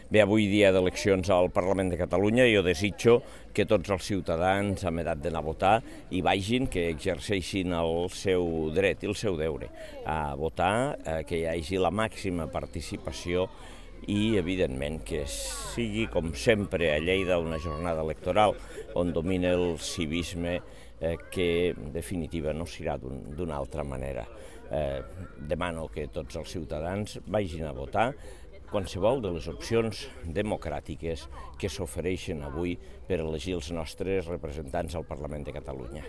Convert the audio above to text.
Bé, avui dia d'eleccions al Parlament de Catalunya, jo desitjo que tots els ciutadans amb edat d'anar a votar hi vagin, que exerceixin el seu dret i el seu deure a votar, que hi hagi la màxima participació i, evidentment, que sigui, com sempre, a Lleida una jornada electoral on domina el civisme que, en definitiva, no serà d'una altra manera. Demano que tots els ciutadans vagin a votar qualsevol de les opcions democràtiques que s'ofereixen avui per elegir els nostres representants al Parlament de Catalunya.